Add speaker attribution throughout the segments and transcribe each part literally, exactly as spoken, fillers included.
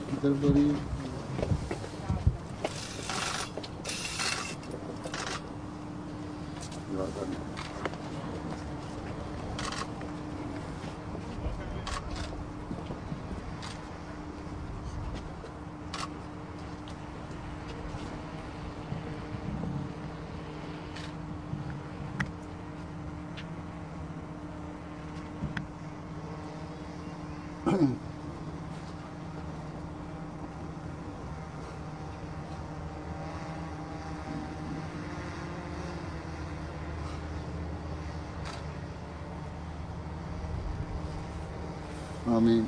Speaker 1: किधर बड़ी आमीन।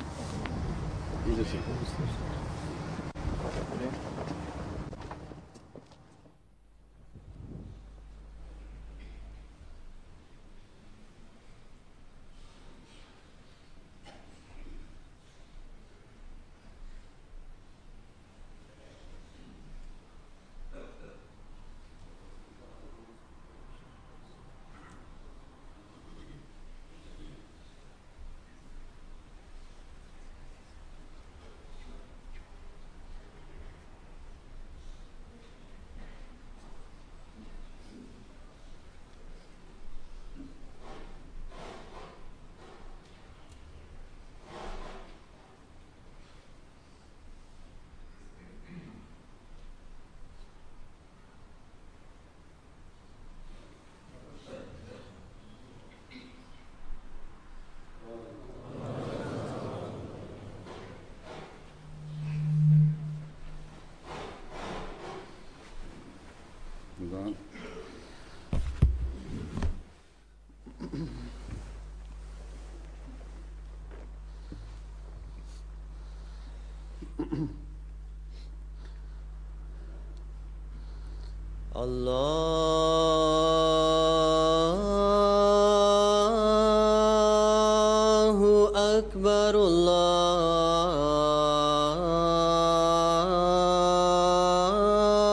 Speaker 2: Allahu Akbar,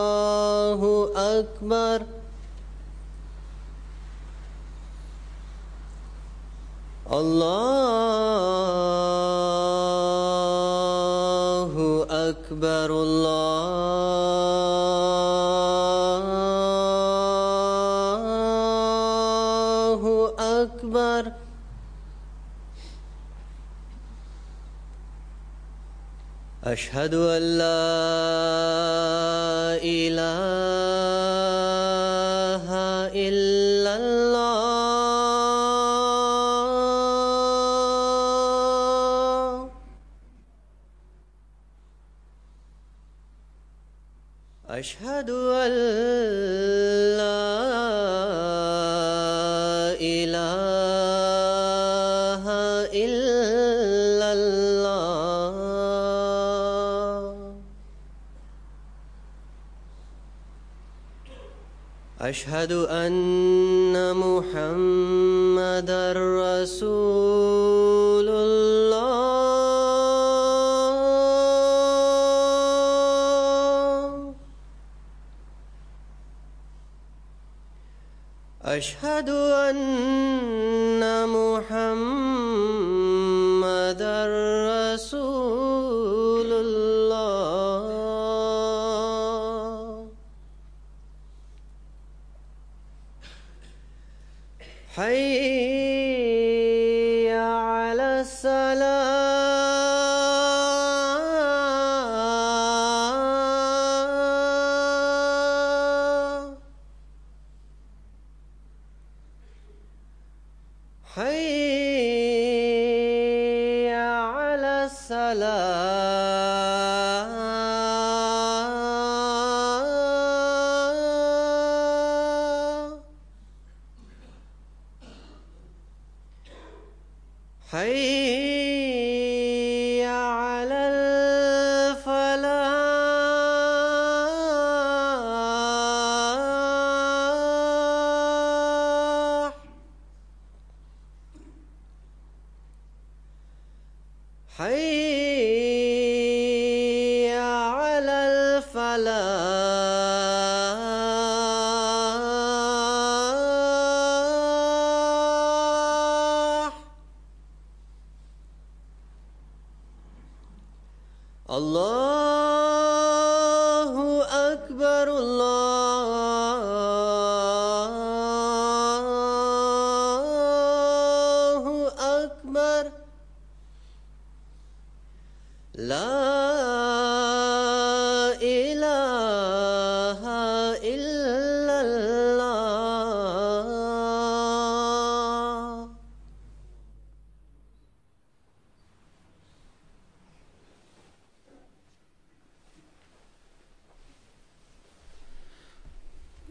Speaker 2: Allahu Akbar. Allahu Akbar, Allahu Akbar. Ashhadu an la ilaha illallah. Ashhadu an la ilaha illallah. Ashhadu anna Muhammadar Rasulullah. Ashhadu anna Muhammadar Rasulullah. Hayya ala salah. Hayya ala salah. Hayya ala al-falah. Hayya ala al-falah. الله أكبر الله أكبر لا إله إلا الله.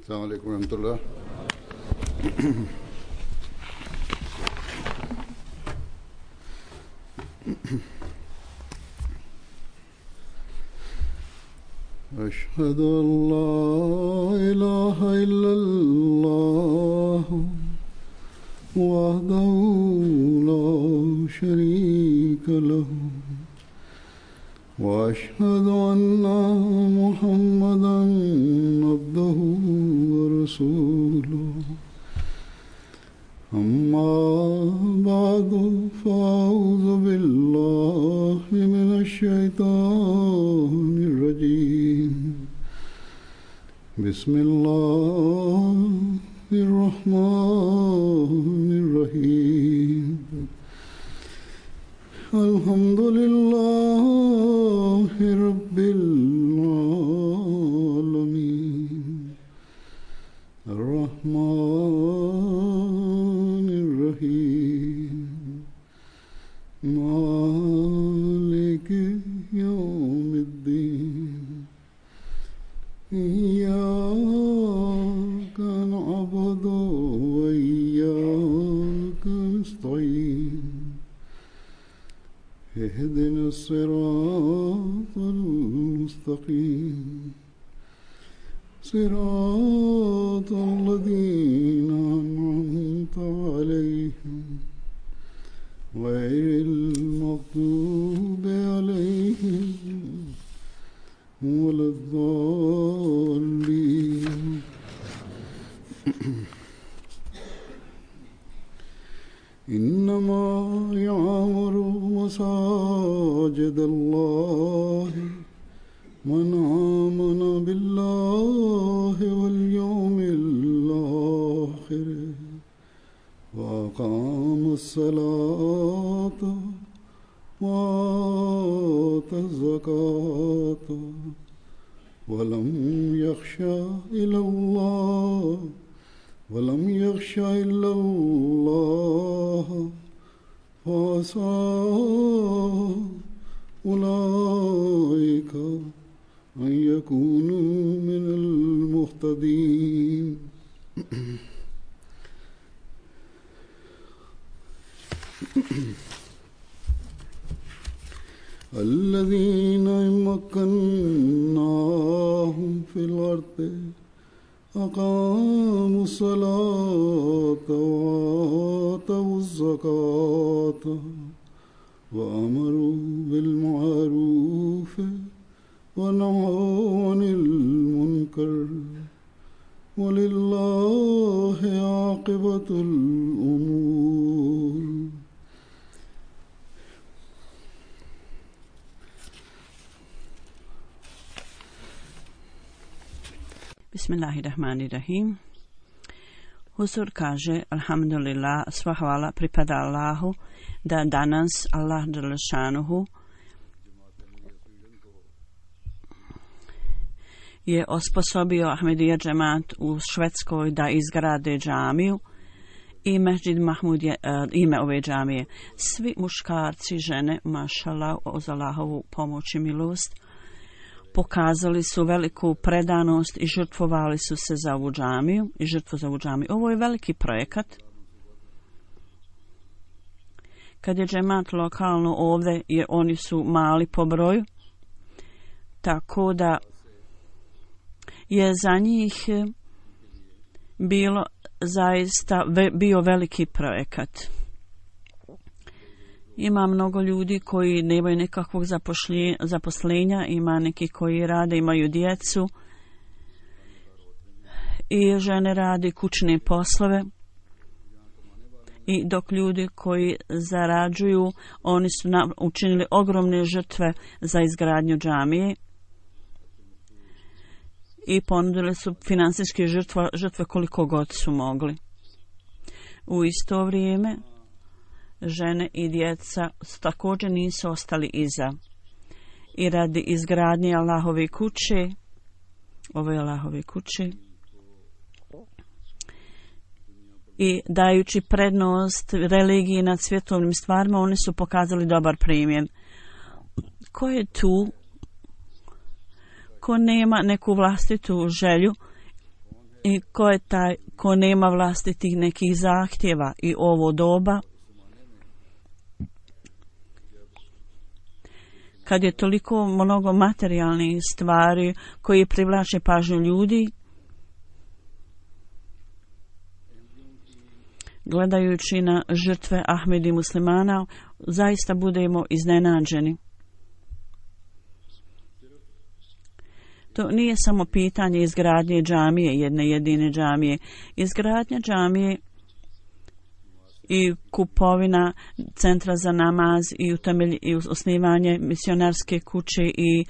Speaker 1: السلام عليكم ورحمة الله. أشهد أن لا إله إلا الله وحده لا شريك له وأشهد أن محمدا عبده ورسوله أما بعد فأعوذ بالله من الشيطان الرجيم بسم الله الرحمن الرحيم الحمد لله رب العالمين الرحمن الرحيم مالك يوم الدين إياك نعبد وإياك نستعين اهدنا الصراط المستقيم صراط الذين أنعمت عليهم غير المغضوب عليهم ولا الضالين. إنما يعمر مساجد الله من آمن بالله واليوم الآخر وأقام الصلاة وآتى الزكاة ولم يخش إلى الله ولم يخش إلا الله فعسى أولئك أن يكونوا من المهتدين. الذين مكناهم في الأرض أقاموا الصلاة وآتوا الزكاة وأمروا بالمعروف ونهوا عن المنكر ولله عاقبة الأمور.
Speaker 3: Bismillahirrahmanirrahim. Huzur kaže, alhamdulillah, sva hvala pripada Allahu, da danas Allah dželešanuhu je osposobio Ahmedija džemat u Švedskoj da izgrade džamiju i Mesdžid Mahmud je uh, ime ove džamije. Svi muškarci, žene, mašallah, uz Allahovu pomoć i milost, pokazali su veliku predanost i žrtvovali su se za ovu džamiju i žrtvu za ovu džamiju. Ovo je veliki projekat. Kad je džemat lokalno ovdje, jer oni su mali po broju, tako da je za njih bilo zaista ve, bio veliki projekat. Ima mnogo ljudi koji nemaju nekakvog zaposlenja, ima neki koji rade, imaju djecu i žene rade kućne poslove I dok ljudi koji zarađuju, oni su na, učinili ogromne žrtve za izgradnju džamije i ponudili su finansijske žrtve, žrtve koliko god su mogli. U isto vrijeme žene i djeca također nisu ostali iza. I radi izgradnje Allahove kuće, ove Allahove kuće, i dajući prednost religiji nad svjetovnim stvarima, oni su pokazali dobar primjer. Ko je tu, ko nema neku vlastitu želju i ko je taj ko nema vlastitih nekih zahtjeva i ovo doba, kad je toliko mnogo materijalnih stvari koji privlače pažnju ljudi, gledajući na žrtve Ahmedi muslimana, zaista budemo iznenađeni. To nije samo pitanje izgradnje džamije, jedne jedine džamije. Izgradnja džamije i kupovina centra za namaz i, utemelj, i osnivanje misionarske kuće i,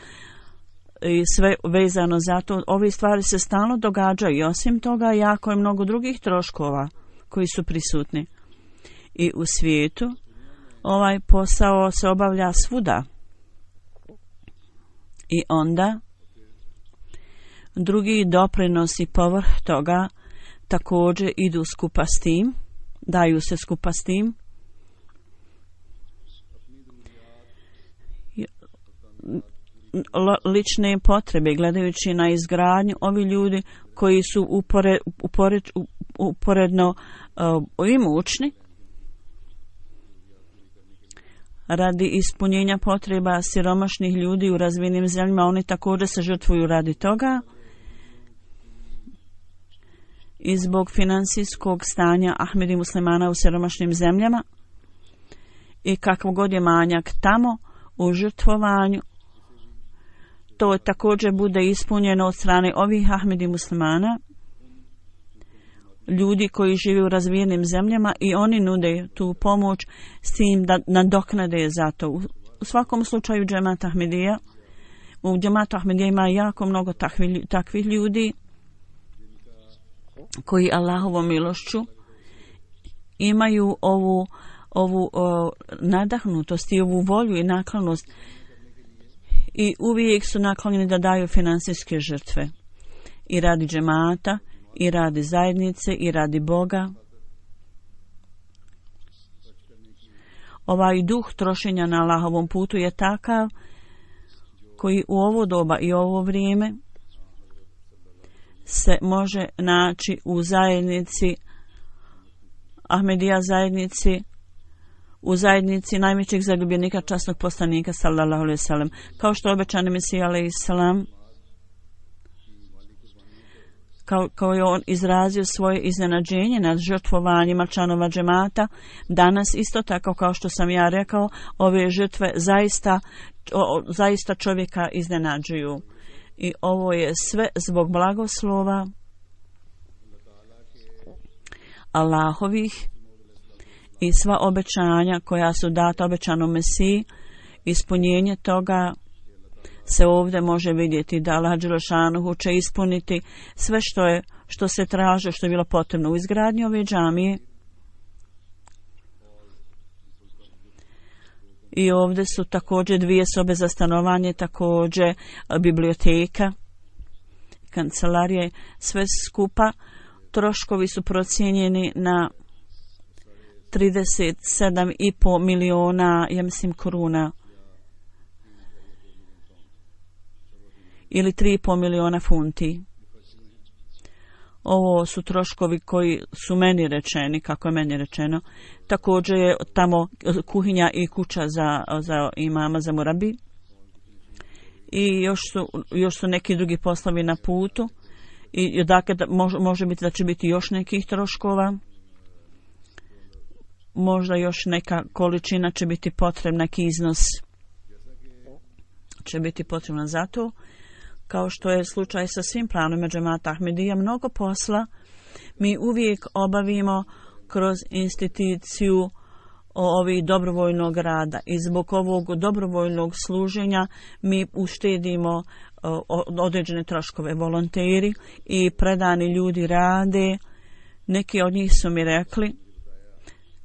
Speaker 3: i sve vezano za to. Ove stvari se stalno događaju i osim toga jako je mnogo drugih troškova koji su prisutni. I u svijetu ovaj posao se obavlja svuda. I onda drugi doprinosi povrh toga također idu skupa s tim, daju se skupa s tim. Lične potrebe, gledajući na izgradnju, ovi ljudi koji su upore, upore, uporedno uh, imućni, radi ispunjenja potreba siromašnih ljudi u razvijenim zemljama, oni također se žrtvuju radi toga. I zbog financijskog stanja Ahmedi muslimana u siromašnim zemljama i kakav god je manjak tamo u žrtvovanju, to također bude ispunjeno od strane ovih Ahmedi muslimana, ljudi koji žive u razvijenim zemljama, i oni nude tu pomoć s tim da nadoknade za to. U svakom slučaju džemat Ahmedija, u džematu Ahmedija ima jako mnogo takvih, takvih ljudi koji Allahovom milošću imaju ovu, ovu o, nadahnutost i ovu volju i naklonost i uvijek su naklonjeni da daju finansijske žrtve i radi džemata i radi zajednice i radi Boga. Ovaj duh trošenja na Allahovom putu je takav koji u ovo doba i ovo vrijeme se može naći u zajednici Ahmedija zajednici, u zajednici najvećeg zaljubljenika časnog poslanika sallallahu alejhi ve sellem, kao što obećani Mesija alejhi selam, kao, kao je on izrazio svoje iznenađenje nad žrtvovanjima članova džemata. Danas isto tako, kao što sam ja rekao, ove žrtve zaista, o, zaista čovjeka iznenađuju. I ovo je sve zbog blagoslova Allahovih i sva obećanja koja su data obećanom Mesiji. Ispunjenje toga se ovdje može vidjeti da Allah dželešanuhu će ispuniti sve što je, što se traže, što je bilo potrebno u izgradnji ove džamije. I ovdje su također dvije sobe za stanovanje, također biblioteka, kancelarije, sve skupa. Troškovi su procijenjeni na trideset sedam i pol miliona, ja mislim, koruna. Ili tri i pol miliona funti. Ovo su troškovi koji su meni rečeni, kako je meni rečeno. Također je tamo kuhinja i kuća za, za imama, za murabi. I još su, još su neki drugi poslovi na putu. I dakle, može, može biti da će biti još nekih troškova. Možda još neka količina će biti potrebna, neki iznos će biti potrebna za to. Kao što je slučaj sa svim planovima džemata Ahmedija, mnogo posla mi uvijek obavimo kroz instituciju ovih dobrovoljnog rada. I zbog ovog dobrovoljnog služenja mi uštedimo određene troškove. Volonteri i predani ljudi rade. Neki od njih su mi rekli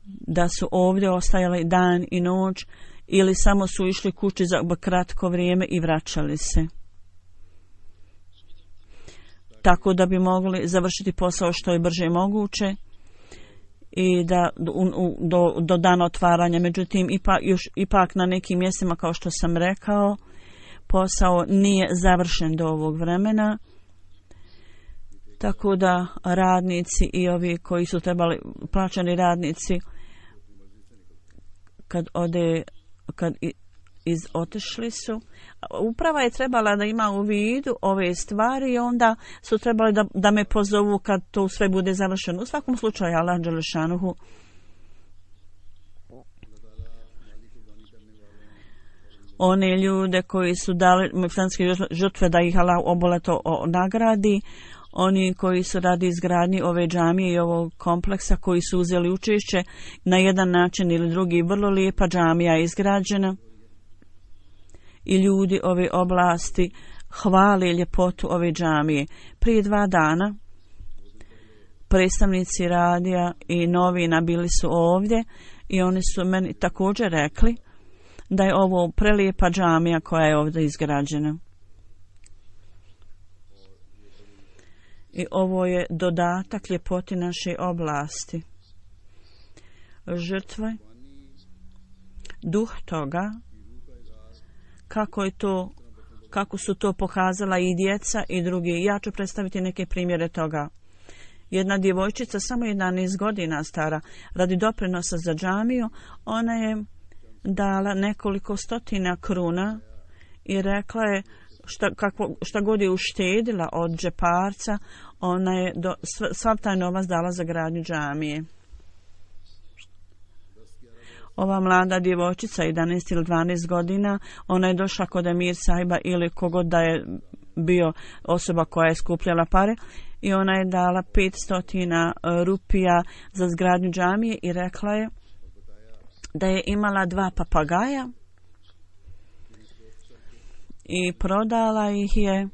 Speaker 3: da su ovdje ostajali dan i noć ili samo su išli kući za kratko vrijeme i vraćali se. Tako da bi mogli završiti posao što je brže moguće i da do, do dana otvaranja. Međutim, ipak, još, ipak na nekim mjestima, kao što sam rekao, posao nije završen do ovog vremena. Tako da radnici i ovi koji su trebali, plaćani radnici, kad ode, kad iz otišli su, uprava je trebala da ima u vidu ove stvari i onda su trebali da, da me pozovu kad to sve bude završeno. U svakom slučaju, Allah dželešanuhu one ljude koji su dali muslimanske žrtve da ih Allah oboleto nagradi, oni koji su radi izgradnji ove džamije i ovog kompleksa, koji su uzeli učešće na jedan način ili drugi. Vrlo lijepa džamija je izgrađena i ljudi ove oblasti hvale ljepotu ove džamije. Prije dva dana predstavnici radija i novina bili su ovdje i oni su meni također rekli da je ovo prelijepa džamija koja je ovdje izgrađena. I ovo je dodatak ljepoti naše oblasti. Žrtve, duh toga, kako je to, kako su to pokazala i djeca i drugi. Ja ću predstaviti neke primjere toga. Jedna djevojčica, samo jedanaest godina stara, radi doprinosa za džamiju, ona je dala nekoliko stotina kruna i rekla je šta, kako, šta god je uštedila od džeparca, ona je do, svav taj novac dala za gradnju džamije. Ova mlada djevojčica, jedanaest ili dvanaest godina, ona je došla kod Emir Sahiba ili kogod da je bio osoba koja je skupljala pare i ona je dala petsto rupija za zgradnju džamije i rekla je da je imala dva papagaja i prodala ih je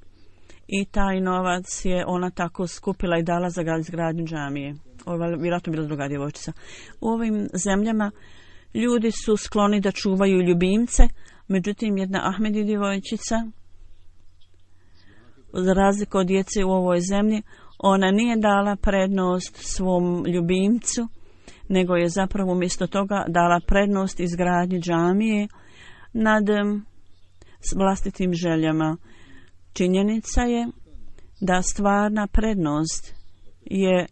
Speaker 3: i taj novac je ona tako skupila i dala za izgradnju džamije. Ovo je vjerojatno bila druga djevojčica. U ovim zemljama ljudi su skloni da čuvaju ljubimce, međutim jedna Ahmedi djevojčica, za razliku od djece u ovoj zemlji, ona nije dala prednost svom ljubimcu, nego je zapravo umjesto toga dala prednost izgradnji džamije nad vlastitim željama. Činjenica je da stvarna prednost je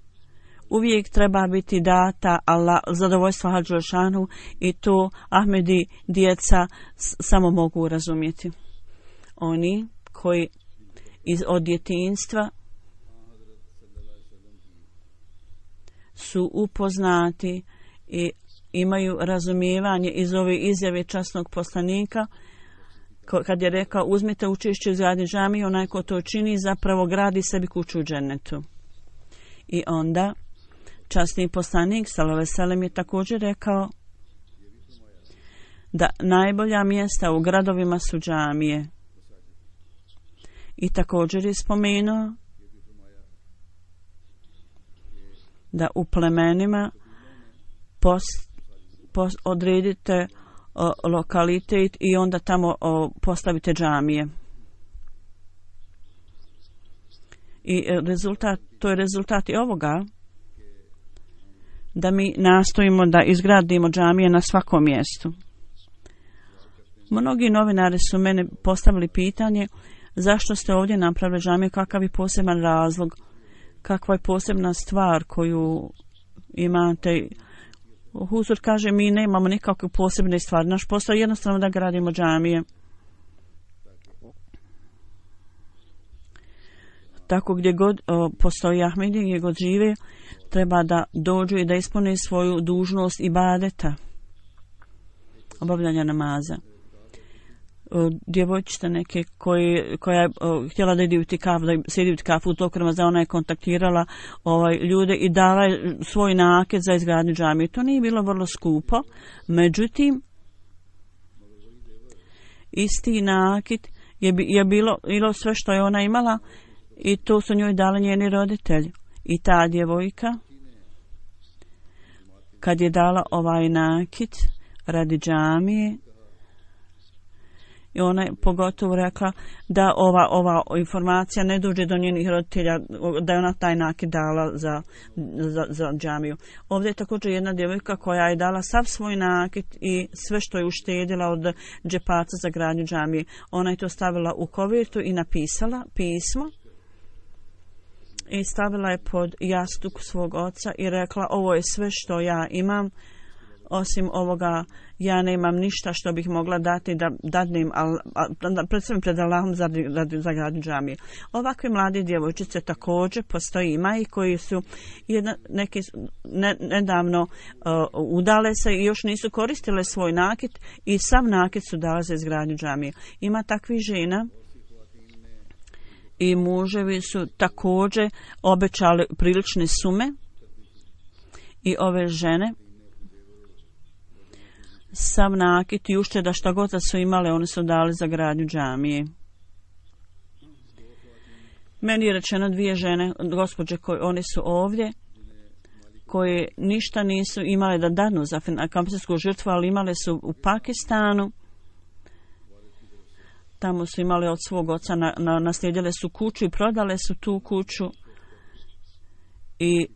Speaker 3: uvijek treba biti data Allah, zadovoljstva Hadžošanu i to Ahmedi djeca samo mogu razumjeti. Oni koji iz od djetinjstva su upoznati i imaju razumijevanje iz ove izjave časnog poslanika kad je rekao uzmite učešće u izgradnji džamije, onaj ko to čini zapravo gradi sebi kuću u džennetu. I onda časni poslanik sallallahu alejhi ve sellem je također rekao da najbolja mjesta u gradovima su džamije. I također je spomenuo da u plemenima post, post, odredite o, lokalitet i onda tamo o, postavite džamije. I rezultat, to je rezultat i ovoga da mi nastojimo da izgradimo džamije na svakom mjestu. Mnogi novinari su mene postavili pitanje zašto ste ovdje napravili džamiju, kakav je poseban razlog, kakva je posebna stvar koju imate. Huzur kaže mi nemamo nikakve posebne stvari, naš posao je jednostavno da gradimo džamije. Tako gdje god o, postoji Ahmedi, gdje god žive, treba da dođu i da ispune svoju dužnost ibadeta, obavljanja namaza. djevojčice neke koji, koja je o, htjela da ide u tikaf, da sjedi u tikafu u toku Ramazana, ona je kontaktirala ovaj, ljude i dala je svoj nakit za izgradnju džamije. To nije bilo vrlo skupo, međutim isti nakit je, je bilo, bilo sve što je ona imala i to su njoj dali njeni roditelji. I ta djevojka kad je dala ovaj nakit radi džamije, i ona je pogotovo rekla da ova, ova informacija ne dođe do njenih roditelja, da je ona taj nakit dala za, za, za džamiju. Ovdje je također jedna djevojka koja je dala sav svoj nakit i sve što je uštedila od džepaca za gradnju džamije. Ona je to stavila u kovertu i napisala pismo i stavila je pod jastuk svog oca i rekla: ovo je sve što ja imam, osim ovoga ja nemam ništa što bih mogla dati da dadnem, da predstavim pred Allahom za, za, za gradnju džamije. Ovakve mlade djevojčice također postoji, ima i koji su jedna, neki ne, nedavno uh, udale se i još nisu koristile svoj nakit i sav nakit su dale za izgradnju džamije. Ima takvih žena i muževi su također obećali prilične sume i ove žene sav nakit i ušteda šta god da su imale, oni su dali za gradnju džamije. Meni je rečeno dvije žene, gospođe, koje oni su ovdje, koje ništa nisu imale da danu za kampijsku žrtvu, ali imale su u Pakistanu. Tamo su imali od svog oca, na, na, naslijedile su kuću i prodale su tu kuću i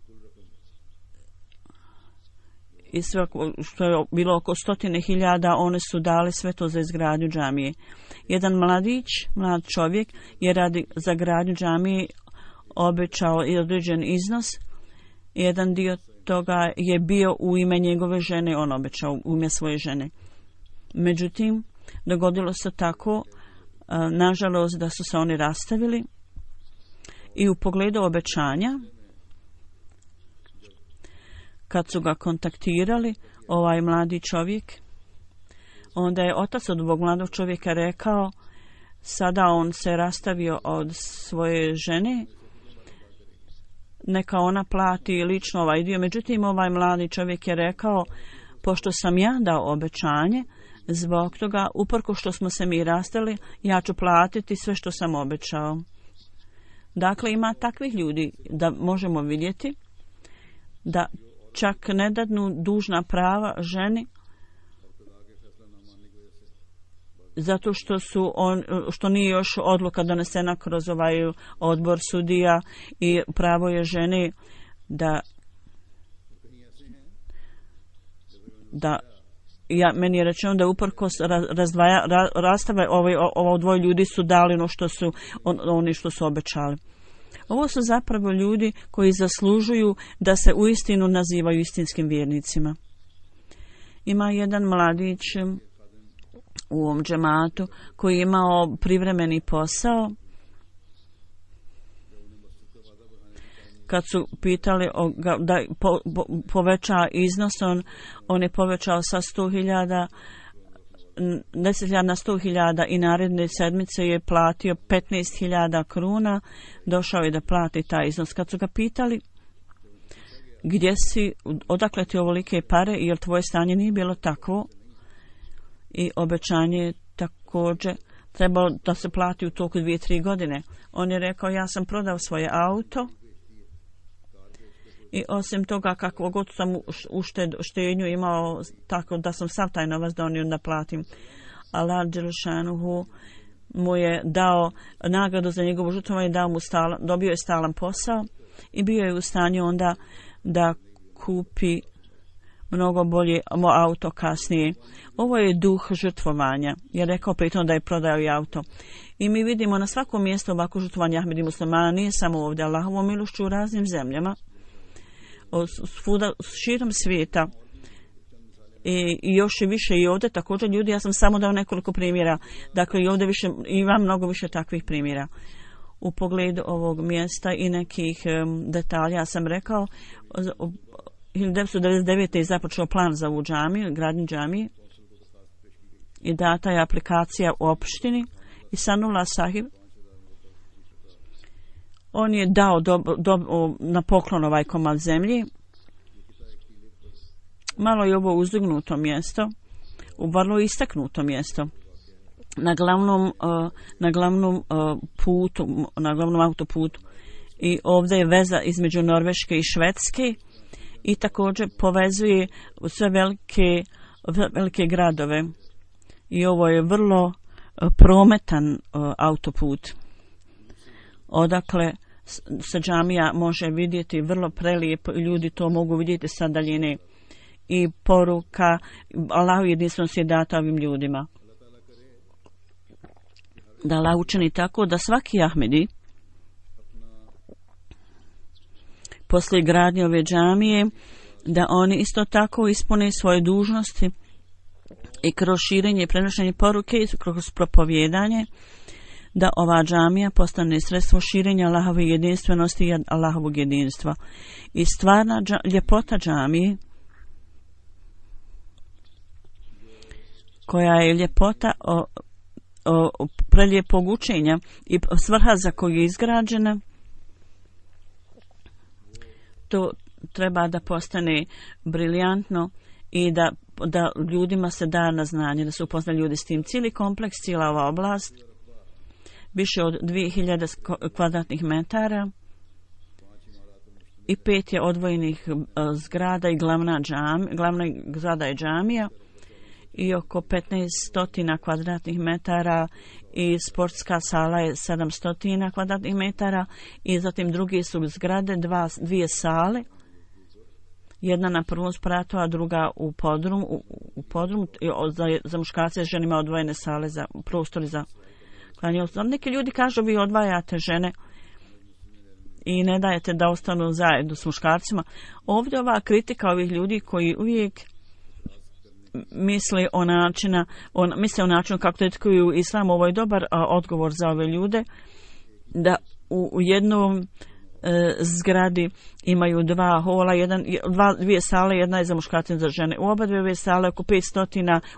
Speaker 3: i sve što je bilo oko stotine hiljada, one su dali sve to za izgradnju džamije. Jedan mladić, mlad čovjek je radi za gradnju džamije obećao i određen iznos. Jedan dio toga je bio u ime njegove žene, on obećao u ime svoje žene. Međutim, dogodilo se tako, nažalost, da su se oni rastavili i u pogledu obećanja, kad su ga kontaktirali, ovaj mladi čovjek, onda je otac od ovog mladog čovjeka rekao, sada on se rastavio od svoje žene, neka ona plati lično ovaj dio. Međutim, ovaj mladi čovjek je rekao, pošto sam ja dao obećanje, zbog toga, uprko što smo se mi rastali, ja ću platiti sve što sam obećao. Dakle, ima takvih ljudi da možemo vidjeti da čak ne dadnu dužna prava ženi zato što su on, što nije još odluka donesena kroz ovaj odbor sudija i pravo je ženi da da ja, meni je rečeno da uprkos razdvaja, ra, rastave ovaj, ovo dvoje ljudi su dali ono što su on, oni što su obećali. Ovo su zapravo ljudi koji zaslužuju da se uistinu nazivaju istinskim vjernicima. Ima jedan mladić u ovom džematu koji je imao privremeni posao. Kad su pitali o, da po, po, poveća iznos, on, on je povećao sa sto hiljada deset hiljada na sto hiljada i naredne sedmice je platio petnaest hiljada kruna, došao je da plati taj iznos. Kad su ga pitali gdje si, odakle ti ovolike pare, jer tvoje stanje nije bilo takvo i obećanje je također trebalo da se plati u toku dvije, tri godine. On je rekao, ja sam prodao svoje auto i osim toga kako god sam ušted, štednju imao, tako da sam sav taj novac donio da platim. Allah dželešanuhu mu je dao nagradu za njegovu žrtvovanje, dao mu stalan, dobio je stalan posao i bio je u stanju onda da kupi mnogo bolje auto kasnije. Ovo je duh žrtvovanja. Je rekao pritom da je prodao i auto. I mi vidimo na svakom mjestu ovako žrtvovanje Ahmedi muslimana, nije samo ovdje, Allahovom milošću u raznim zemljama, svuda širom svijeta i, i još i više i ovdje također ljudi, ja sam samo dao nekoliko primjera, dakle i ovdje više, ima mnogo više takvih primjera. U pogledu ovog mjesta i nekih um, detalja, ja sam rekao, hiljadu devetsto devedeset devete je započeo plan za ovu džamiju, gradnju džamije i data je aplikacija u opštini i Sanullah Sahib on je dao do, do, na poklon ovaj komad zemlji. Malo je ovo uzdignuto mjesto, u vrlo istaknuto mjesto. Na glavnom, uh, na glavnom uh, putu, na glavnom autoputu. I ovdje je veza između Norveške i Švedske i također povezuje sve velike, velike gradove. I ovo je vrlo uh, prometan uh, autoput. Odakle se džamija može vidjeti vrlo prelijepo i ljudi to mogu vidjeti sa daljine. I poruka Allahu jedinstvenosti je data ovim ljudima. Da Allah učini tako da svaki Ahmedi poslije gradnje ove džamije da oni isto tako ispune svoje dužnosti i kroz širenje i prenošenje poruke i kroz propovjedanje da ova džamija postane sredstvo širenja Allahove jedinstvenosti i Allahovog jedinstva. I stvarna dža, ljepota džamije koja je ljepota o, o, o prelijepog učenja i svrha za koju je izgrađena, to treba da postane briljantno i da, da ljudima se da na znanje, da se upozna ljudi s tim. Cijeli kompleks, cijela ova oblast, više od dvije hiljade kvadratnih metara i pet je odvojenih zgrada i glavna, džam, glavna zgrada je džamija i oko petnaest stotina kvadratnih metara i sportska sala je sedamsto kvadratnih metara i zatim drugi su zgrade, dva, dvije sale, jedna na prvom spratu, a druga u podrumu, u, u podrumu za, za muškarce i ženima odvojene sale, za prostori za klanje. Neki ljudi kažu vi odvajate žene i ne dajete da ostanu zajedno s muškarcima. Ovdje ova kritika ovih ljudi koji uvijek misle o načina, on, misle o načinu kako tetkuju islam, ovo je dobar a, odgovor za ove ljude, da u, u jednom e, zgradi imaju dva hola, jedan, dva, dvije sale, jedna je za muškarce i za žene. U oba dvije sale oko petsto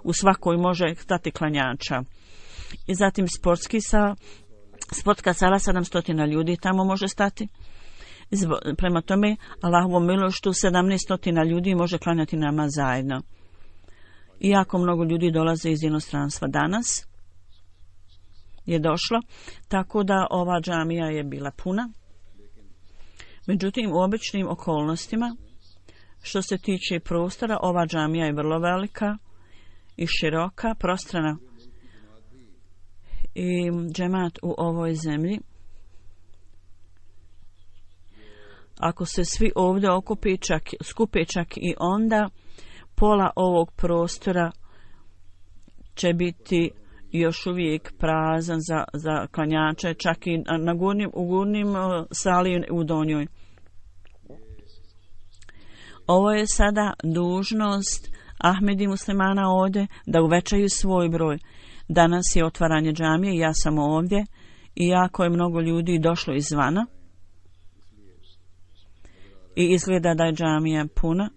Speaker 3: u svakoj može stati klanjača. I zatim sportski sa, sportska sala sedamsto ljudi tamo može stati. Zbog, prema tome, Allahovom milošću sedamnaest ljudi može klanjati nama zajedno. Iako mnogo ljudi dolaze iz inostranstva danas, je došlo, tako da ova džamija je bila puna. Međutim, u običnim okolnostima, što se tiče prostora, ova džamija je vrlo velika i široka, prostrana. I džemat u ovoj zemlji, ako se svi ovdje okupi čak, skupe čak i onda, pola ovog prostora će biti još uvijek prazan za, za klanjače, čak i na gornjim, u gornjim sali u donjoj. Ovo je sada dužnost Ahmedi muslimana ovdje da uvećaju svoj broj. Danas je otvaranje džamije, ja sam ovdje i jako je mnogo ljudi došlo izvana i izgleda da je džamija puna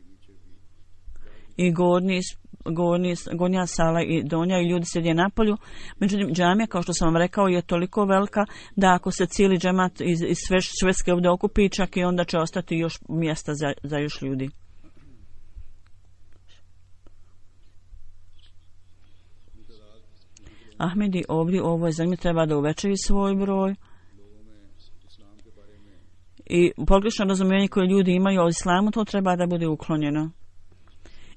Speaker 3: i gornji, gornji, gornja sala i donja i ljudi sjede na polju. Međutim, džamija, kao što sam vam rekao, je toliko velika da ako se cijeli džemat iz, iz Švedske ovdje okupi, čak i onda će ostati još mjesta za, za još ljudi. Ahmedi ovdje u ovoj zemlji treba da uvećaju svoj broj i pogrešno razumijevanje koje ljudi imaju o islamu, to treba da bude uklonjeno.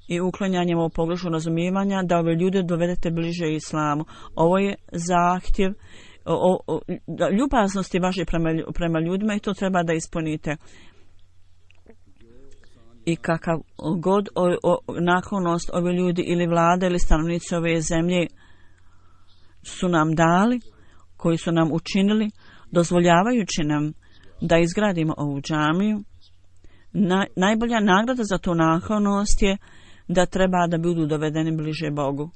Speaker 3: I uklanjanjem ovog pogrešnog razumijevanja da ove ljude dovedete bliže islamu. Ovo je zahtjev o, o, o, ljubaznosti vaše prema, prema ljudima i to treba da ispunite. I kakav god o, o, naklonost ove ljudi ili vlade ili stanovnici ove zemlje su nam dali, koji su nam učinili, dozvoljavajući nam da izgradimo ovu džamiju, na, najbolja nagrada za tu naklonost je da treba da budu dovedeni bliže Bogu.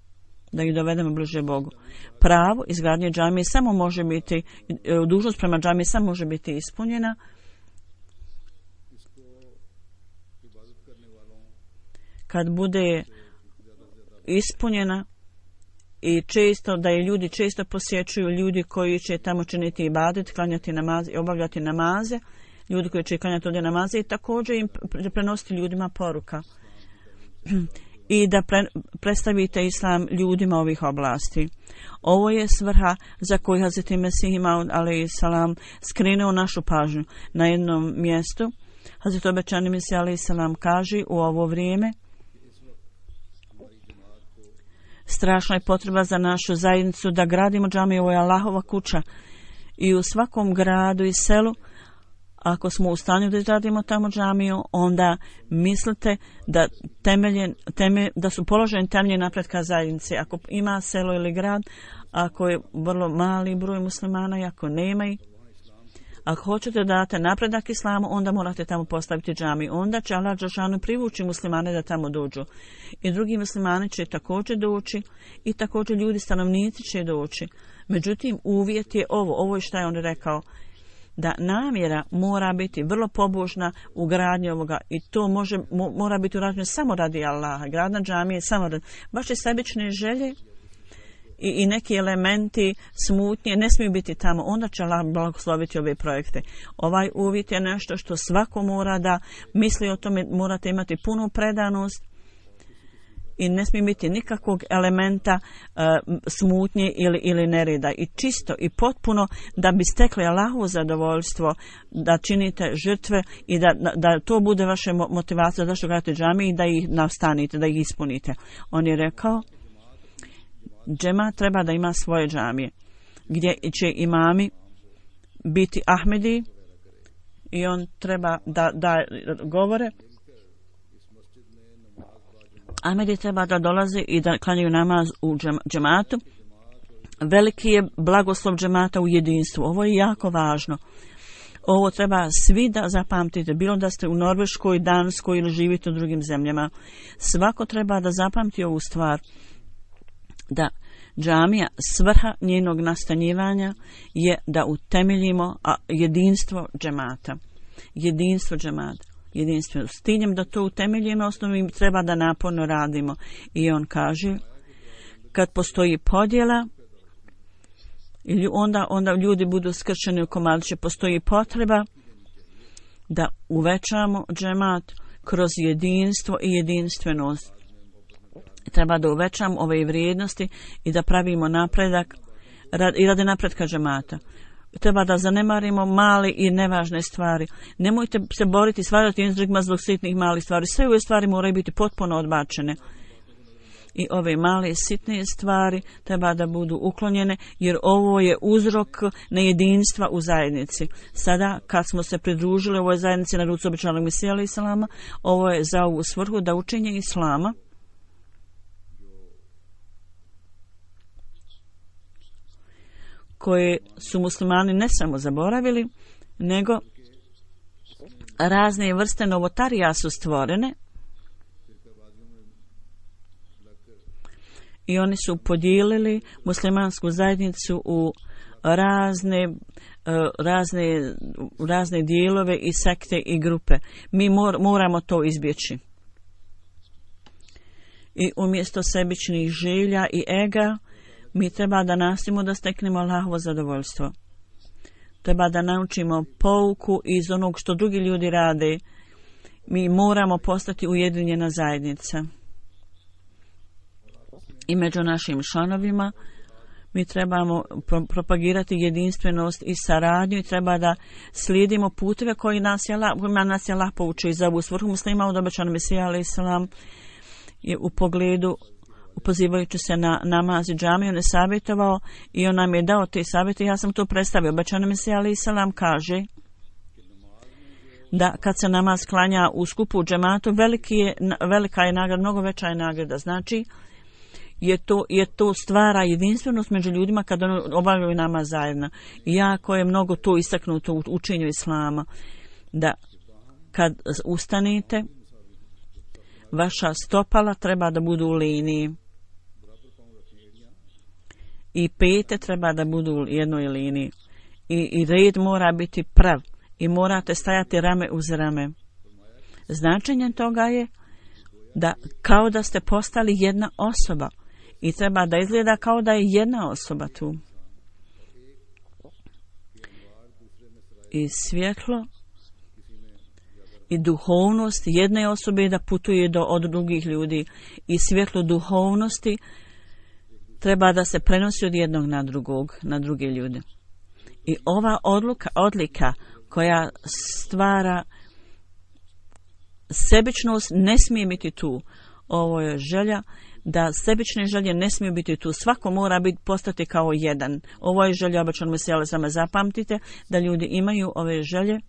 Speaker 3: Da ih dovedemo bliže Bogu. Pravo izgradnje džamije samo može biti, dužnost prema džamiji samo može biti ispunjena kad bude ispunjena i često da je ljudi često posjećuju ljudi koji će tamo činiti ibadet, klanjati namaze i obavljati namaze, ljudi koji će klanjati ovdje namaze i također im prenositi ljudima poruka i da pre, predstavite islam ljudima ovih oblasti. Ovo je svrha za koju Hazreti Mesih Maud alejhi salam skrenuo našu pažnju. Na jednom mjestu Hazreti obećani Mesih alejhi salam kaže u ovo vrijeme strašna je potreba za našu zajednicu da gradimo džamiju, ovo je Allahova kuća i u svakom gradu i selu ako smo u stanju da izradimo tamo džamiju, onda mislite da, temelje, teme, da su položeni temelji napretka zajednice. Ako ima selo ili grad, ako je vrlo mali broj muslimana i ako nema ih, ako hoćete da date napredak islamu, onda morate tamo postaviti džamiju. Onda će Allah dželešanu privući muslimane da tamo dođu. I drugi muslimani će također doći i također ljudi stanovnici će doći. Međutim, uvjet je ovo. Ovo je šta je on rekao. Da namjera mora biti vrlo pobožna u gradnji ovoga i to može, mo, mora biti urađeno samo radi Allaha. Gradna džamija je samo radi vaše sebične želje i, i neki elementi smutnje ne smiju biti tamo. Onda će Allah blagosloviti ove projekte. Ovaj uvjet je nešto što svako mora da misli o tome, morate imati punu predanost i ne smije biti nikakvog elementa uh, smutnje ili, ili nereda. I čisto i potpuno da bi stekli Allahovo zadovoljstvo, da činite žrtve i da, da, da to bude vaša motivacija zašto gradite džamije i da ih nastanite, da ih ispunite. On je rekao, džema treba da ima svoje džamije, gdje će imami biti Ahmedi i on treba da, da govore. Ahmedi treba da dolaze i da klanjaju namaz u džematu. Veliki je blagoslov džemata u jedinstvu. Ovo je jako važno. Ovo treba svi da zapamtite. Bilo da ste u Norveškoj, Danskoj ili živite u drugim zemljama. Svako treba da zapamti ovu stvar. Da džamija, svrha njenog nastanjivanja je da utemeljimo jedinstvo džemata. Jedinstvo džemata. Jedinstvenom s ciljem da to utemeljimo osnovim treba da naporno radimo. I on kaže, kad postoji podjela, onda, onda ljudi budu skršeni u komadiće, postoji potreba da uvećamo džemat kroz jedinstvo i jedinstvenost. Treba da uvećamo ove vrijednosti i da pravimo napredak i radi napretka džemata. Treba da zanemarimo male i nevažne stvari. Nemojte se boriti, svađati jedni s drugima zbog sitnih malih stvari. Sve ove stvari moraju biti potpuno odbačene. I ove male sitne stvari treba da budu uklonjene, jer ovo je uzrok nejedinstva u zajednici. Sada, kad smo se pridružili ovoj zajednici na rucu obećanog Mesija alejhi salama, ovo je za ovu svrhu da učenje islama koje su muslimani ne samo zaboravili, nego razne vrste novotarija su stvorene i oni su podijelili muslimansku zajednicu u razne, razne, razne dijelove i sekte i grupe. Mi mor, moramo to izbjeći. I umjesto sebičnih želja i ega, mi treba da nastojimo da steknemo Allahovo zadovoljstvo. Treba da naučimo pouku iz onog što drugi ljudi rade. Mi moramo postati ujedinjena zajednica. I među našim članovima mi trebamo pro- propagirati jedinstvenost i saradnju i treba da slijedimo puteve koji nas je Allah, kojima nas je Allah poučio. I za ovu svrhu muslima od obećanog Mesija alejhi salam je u pogledu pozivajući se na namaz i džamiju, on je savjetovao i on nam je dao te savjete. Ja sam to predstavio. Obećani Mesija alejhi salam kaže da kad se namaz klanja u skupu u džematu, veliki je, velika je nagrada, mnogo veća je nagrada. Znači, je to, je to stvara jedinstvenost među ljudima kada obavljaju namaz zajedno. I jako je mnogo to istaknuto u učenju islama. Da kad ustanete, vaša stopala treba da budu u liniji. I pete treba da budu u jednoj liniji. I, i red mora biti prav. I morate stajati rame uz rame. Značenje toga je da kao da ste postali jedna osoba. i treba da izgleda kao da je jedna osoba tu. I svjetlo i duhovnost jedne osobe da putuje do od drugih ljudi i svjetlo duhovnosti treba da se prenosi od jednog na drugog, na druge ljude. I ova odluka, odlika koja stvara sebičnost ne smije biti tu. Ovo je želja da sebične želje ne smiju biti tu. Svako mora biti postati kao jedan. Ovo je želja obećanog Mesija, samo zapamtite da ljudi imaju ove želje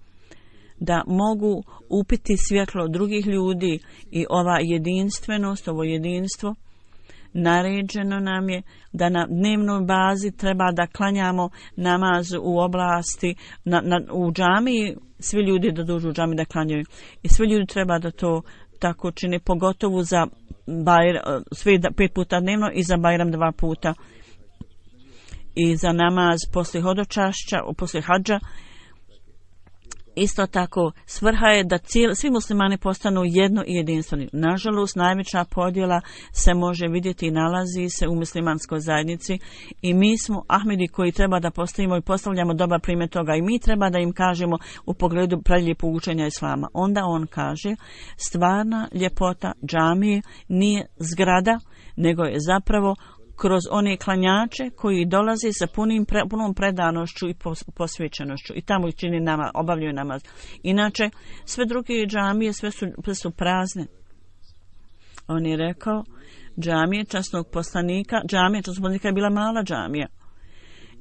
Speaker 3: da mogu upiti svjetlo drugih ljudi i ova jedinstvenost, ovo jedinstvo naređeno nam je da na dnevnoj bazi treba da klanjamo namaz u oblasti, na, na, u džamiji, svi ljudi da dođu u džamiji da klanjaju. I svi ljudi treba da to tako čine, pogotovo za bajr, sve pet puta dnevno i za Bajram dva puta. I za namaz poslije hodočašća, poslije hadža. Isto tako, svrha je da cijeli, svi muslimani postanu jedno i jedinstveni. Nažalost, najveća podjela se može vidjeti i nalazi se u muslimanskoj zajednici i mi smo Ahmedi koji treba da postavimo i postavljamo dobar primjer toga i mi treba da im kažemo u pogledu prelijepog učenja Islama. Onda on kaže, stvarna ljepota džamije nije zgrada, nego je zapravo kroz one klanjače koji dolaze sa punim pre, punom predanošću i posvećenošću i tamo čini nama, obavljaju namaz. Inače, sve druge džamije sve su, sve su prazne. On je rekao, džamije časnog poslanika, džamija časnog poslanika je bila mala džamija.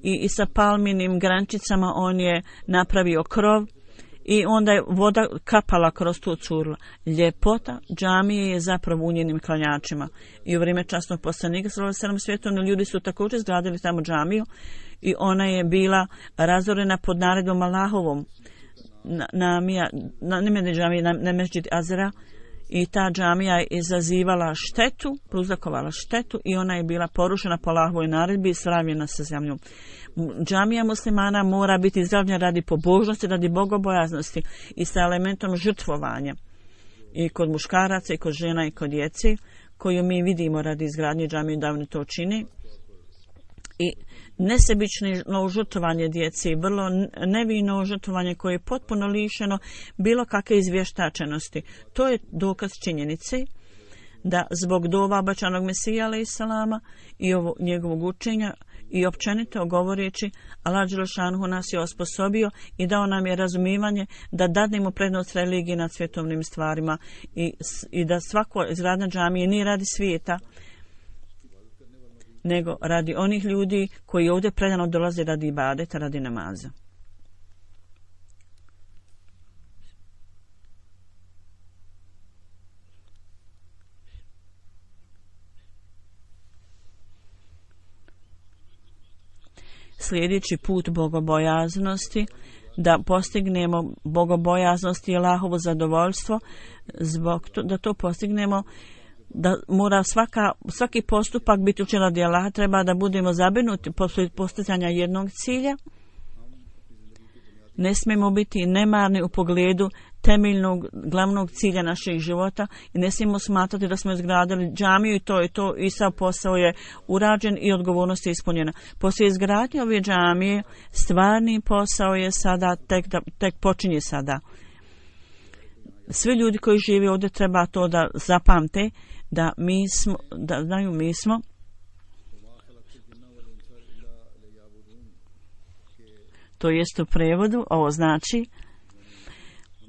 Speaker 3: I, i sa palminim grančicama on je napravio krov i onda je voda kapala kroz tu curla. Ljepota džamije je zapravo u njenim klanjačima. I u vrijeme časnog poslanika sallallahu alejhi ve sellem svjetovni ljudi su također izgradili tamo džamiju i ona je bila razorena pod naredbom Allahovom. Na, na, na, na, džamije, na, na Mesdžid Azra i ta džamija je izazivala štetu, prouzrokovala štetu i ona je bila porušena po Allahovoj naredbi i sravnjena sa zemljom. Džamija muslimana mora biti izgrađena radi pobožnosti, radi bogobojaznosti i sa elementom žrtvovanja. I kod muškaraca, i kod žena, i kod djece, koju mi vidimo radi izgradnje džamije, davno to čini. I nesebično žrtvovanje djece, vrlo nevino žrtvovanje koje je potpuno lišeno bilo kakve izvještačenosti. To je dokaz činjenice da zbog dova obećanog Mesija alejselama i ovo, njegovog učenja i općenito govoreći, Allah dželešanu nas je osposobio i dao nam je razumijevanje da dadnemo prednost religiji nad svjetovnim stvarima i, i da svako izgradnja džamije nije radi svijeta, nego radi onih ljudi koji ovdje predano dolaze radi ibadeta, radi namaza. Sljedeći put bogobojaznosti, da postignemo bogobojaznost i Allahovo zadovoljstvo, zbog to, da to postignemo, da mora svaka, svaki postupak biti učinjen radi Allaha, treba da budemo zabrinuti posle postizanja jednog cilja. Ne smijemo biti nemarni u pogledu temeljnog glavnog cilja našeg života i ne smijemo smatrati da smo izgradili džamiju i to je to i sav posao je urađen i odgovornost je ispunjena. Poslije izgradnje ove džamije stvarni posao je sada tek, da, tek počinje sada. Svi ljudi koji žive ovdje treba to da zapamte da mi smo, da znaju mi smo to jest u prevodu, ovo znači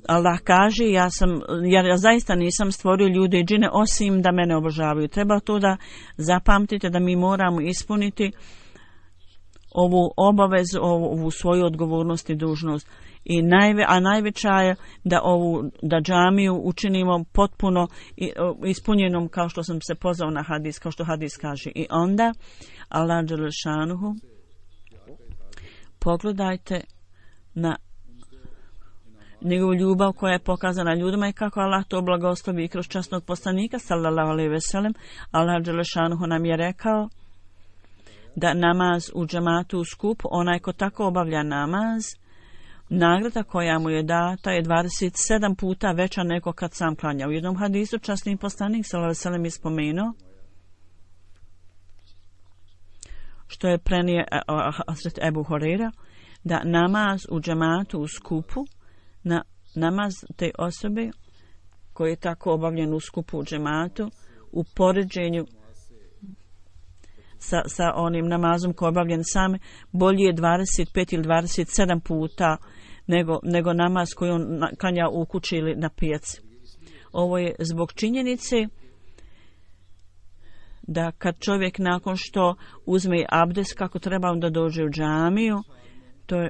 Speaker 3: Allah kaže, ja sam, ja, ja zaista nisam stvorio ljude i džine osim da mene obožavaju. Treba to da zapamtite da mi moramo ispuniti ovu obavezu, ovu, ovu svoju odgovornost i dužnost. I najve, a najveća je da ovu da džamiju učinimo potpuno ispunjenom, kao što sam se pozvao na hadis, kao što hadis kaže. I onda Allah dželešanuhu, pogledajte na njegovu ljubav koja je pokazana ljudima i kako Allah to blagoslovi kroz časnog poslanika sallallahu alejhi ve sellem. Allah dželešanuhu nam je rekao da namaz u džematu u skupu, onaj ko tako obavlja namaz, nagrada koja mu je data je dvadeset sedam puta veća nego kad sam klanja. U jednom hadisu časni poslanik sallallahu alejhi ve sellem je spomenuo što je prenio Hazret Ebu Horeira, da namaz u džematu u skupu, na namaz te osobe koji je tako obavljen u skupu u džematu, u poređenju sa, sa onim namazom koji je obavljen sam, bolji je dvadeset pet ili dvadeset sedam puta nego, nego namaz koji on klanja u kući ili na pijaci. Ovo je zbog činjenice da kad čovjek nakon što uzme abdest kako treba onda dođe u džamiju, to je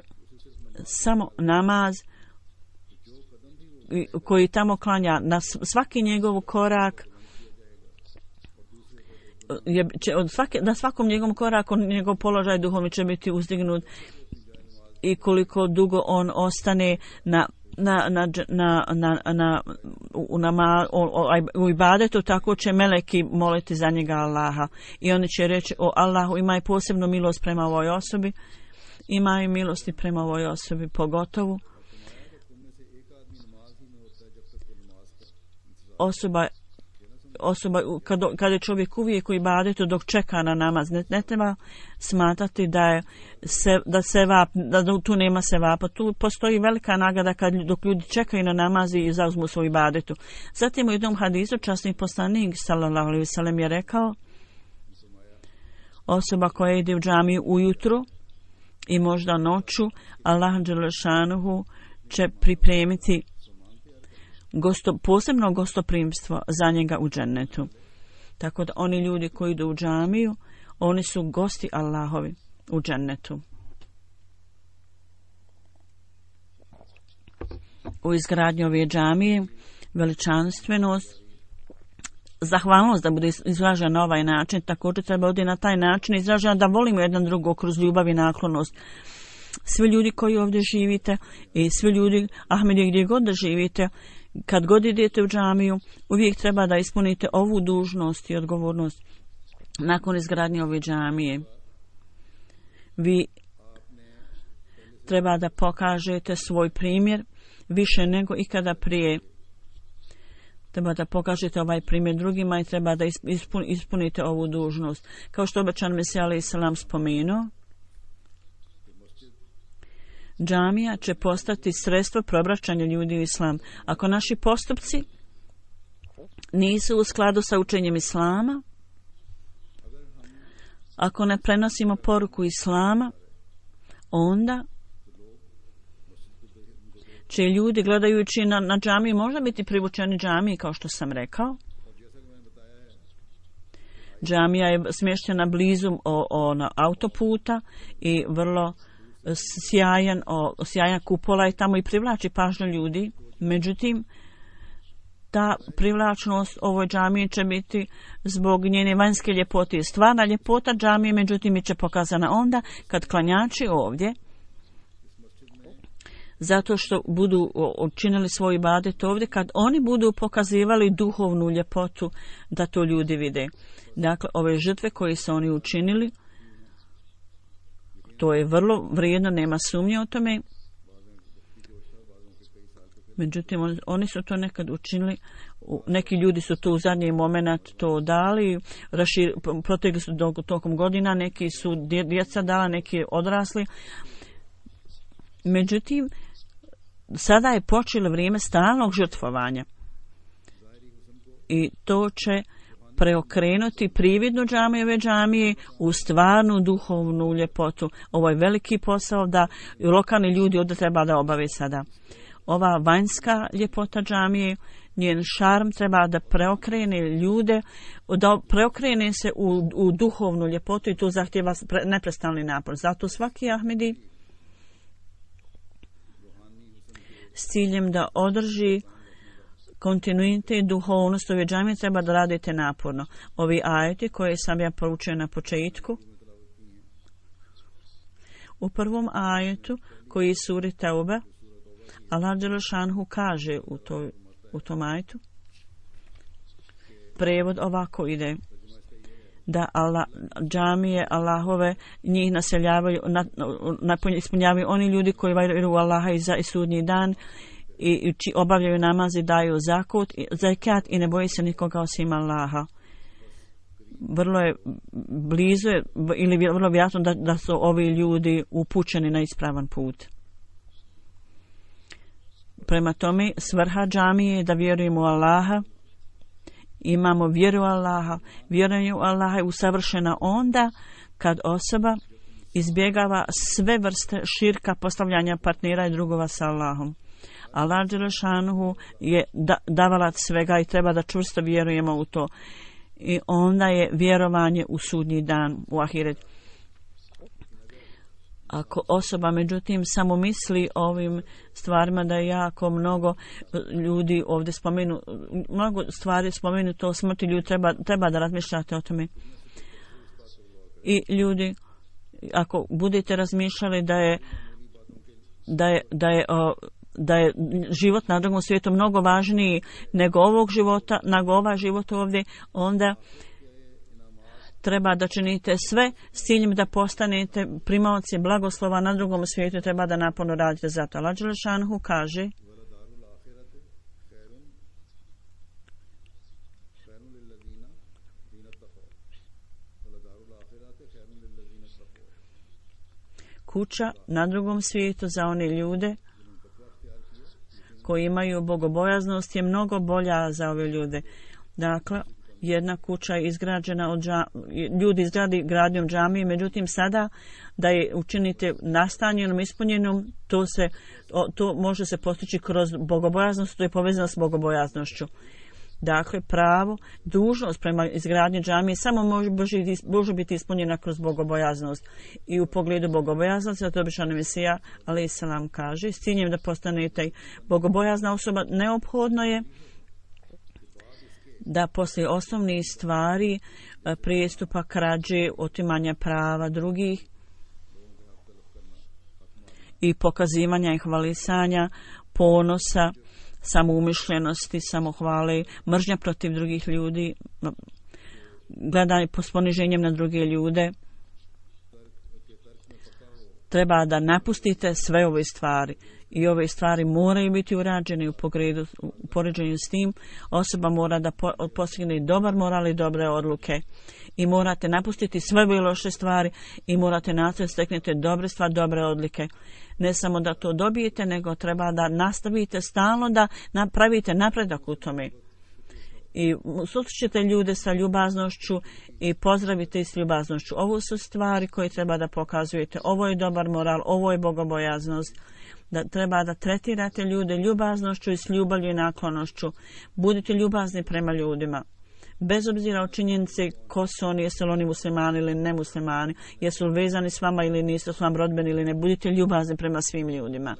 Speaker 3: samo namaz koji tamo klanja, na svaki njegov korak je, će, od svake, na svakom njegovom koraku njegov položaj duhovni će biti uzdignut i koliko dugo on ostane na na na na na, na u, nama, u ibadetu, tako će meleki moliti za njega Allaha i oni će reći: o Allahu, imaj posebnu milost prema ovoj osobi, imaj milosti prema ovoj osobi pogotovo osoba osoba kada, kada je čovjek uvijek u ibadetu dok čeka na namaz, ne, ne treba smatrati da je se, da se vap, da tu nema se vapa, tu postoji velika nagrada kad, dok ljudi čekaju na namaz i zauzmu svoj ibadetu. Zatim u jednom hadisu časni poslanik sallallahu alejhi ve sellem je rekao: osoba koja ide u džamiju ujutro i možda noću, Allah dželle šanuhu će pripremiti Gosto, posebno gostoprimstvo za njega u džennetu. Tako da oni ljudi koji idu u džamiju, oni su gosti Allahovi u džennetu. U izgradnji ove džamije veličanstvenost, zahvalnost da bude izražena na ovaj način, također treba ovdje na taj način izražena da volimo jedan drugog kroz ljubav i naklonost. Svi ljudi koji ovdje živite i svi ljudi Ahmedi gdje god da živite, kad god idete u džamiju, uvijek treba da ispunite ovu dužnost i odgovornost. Nakon izgradnje ove džamije, vi treba da pokažete svoj primjer više nego ikada prije. Treba da pokažete ovaj primjer drugima i treba da ispunite ovu dužnost. Kao što obećan Mesija alejhi selam spomenuo, džamija će postati sredstvo preobraćanja ljudi u islam. Ako naši postupci nisu u skladu sa učenjem islama, ako ne prenosimo poruku islama, onda će ljudi gledajući na, na džamiju možda biti privučeni džamiji, kao što sam rekao. Džamija je smještena blizu o, o, na autoputa i vrlo sjajan, o, sjajan kupola i tamo i privlači pažnju ljudi. Međutim, ta privlačnost ovoj džamiji će biti zbog njene vanjske ljepote. Stvarna ljepota džamije, međutim, je će pokazana onda kad klanjači ovdje, zato što budu učinili svoj ibadet ovdje, kad oni budu pokazivali duhovnu ljepotu, da to ljudi vide. Dakle, ove žrtve koje su oni učinili, to je vrlo vrijedno, nema sumnje o tome. Međutim, oni su to nekad učinili, neki ljudi su to u zadnji moment to dali, rašir, protegli su tokom godina, neki su djeca dala, neki odrasli. Međutim, sada je počelo vrijeme stalnog žrtvovanja i to će preokrenuti prividnu džamiju ove džamije u stvarnu duhovnu ljepotu. Ovo je veliki posao da lokalni ljudi ovdje treba da obave sada. Ova vanjska ljepota džamije, njen šarm treba da preokrene ljude, da preokrene se u, u duhovnu ljepotu i to zahtjeva neprestalni napor. Zato svaki Ahmedi s ciljem da održi kontinuitet duhovnosti ove džamije treba da radite naporno. Ovi ajeti koje sam ja proučio na početku, u prvom ajetu koji je suri Teuba, Allah dželle šanhu kaže u, toj, u tom ajetu, prevod ovako ide, da Allah, džamije Allahove njih naseljavaju, na, na, ispunjavaju oni ljudi koji vjeruju u Allaha i za i sudnji dan i či obavljaju namaz i daju zakut, zakat i ne boji se nikoga osim Allaha. vrlo je blizu je, ili vrlo vjerojatno da, da su ovi ljudi upućeni na ispravan put. Prema tome, svrha džamije je da vjerujemo u Allaha, imamo vjeru u Allaha. Vjerovanje u Allaha je usavršena onda kad osoba izbjegava sve vrste širka, postavljanja partnera i drugova sa Allahom. Allah dželešanuhu je da, davalac svega i treba da čvrsto vjerujemo u to. I onda je vjerovanje u sudnji dan, u ahiret. Ako osoba međutim samo misli o ovim stvarima, da je jako mnogo ljudi ovdje spomenu, mnogo stvari spomenu to smrti, ljudi treba, treba da razmišljate o tome. I ljudi, ako budete razmišljali da je da je, da je, o, da je život na drugom svijetu mnogo važniji nego ovog života, nego ovaj život ovdje, onda treba da činite sve s ciljem da postanete primaoci blagoslova na drugom svijetu, treba da naporno radite za to. Allah dželešanuhu kaže: kuća na drugom svijetu za one ljude koji imaju bogobojaznost je mnogo bolja za ove ljude. Dakle, jedna kuća je izgrađena od dža, ljudi izgradi gradnjom džamije, međutim sada da je učinite nastanjenom, ispunjenom, to se to može se postići kroz bogobojaznost, to je povezano s bogobojaznošću. Dakle, pravo, dužnost prema izgradnji džamije samo može, može biti ispunjena kroz bogobojaznost. I u pogledu bogobojaznosti, zato običan Mesija, alejhi selam, kaže, s ciljem da postanete bogobojazna osoba, neophodno je da poslije osnovnih stvari, prijestupa, krađe, otimanja prava drugih i pokazivanja i hvalisanja, ponosa, samoumišljenosti, samohvale, mržnja protiv drugih ljudi, gledanje s poniženjem na druge ljude, treba da napustite sve ove stvari. I ove stvari moraju biti urađene u pogledu, u poređenju s tim. Osoba mora da po, postigne dobar moral i dobre odluke. I morate napustiti sve ove loše stvari i morate nastaviti steknete dobre stvari, dobre odlike. Ne samo da to dobijete, nego treba da nastavite stalno da napravite napredak u tome. I susrećete ljude sa ljubaznošću i pozdravite ih s ljubaznošću. Ovo su stvari koje treba da pokazujete. Ovo je dobar moral, ovo je bogobojaznost. Da treba da tretirate ljude ljubaznošću i s ljubavlju i naklonošću. Budite ljubazni prema ljudima. Bez obzira o činjenici ko su oni, jesu li oni muslimani ili nemuslimani, jesu li vezani s vama ili nisu, s vam rodbeni ili ne, budite ljubazni prema svim ljudima.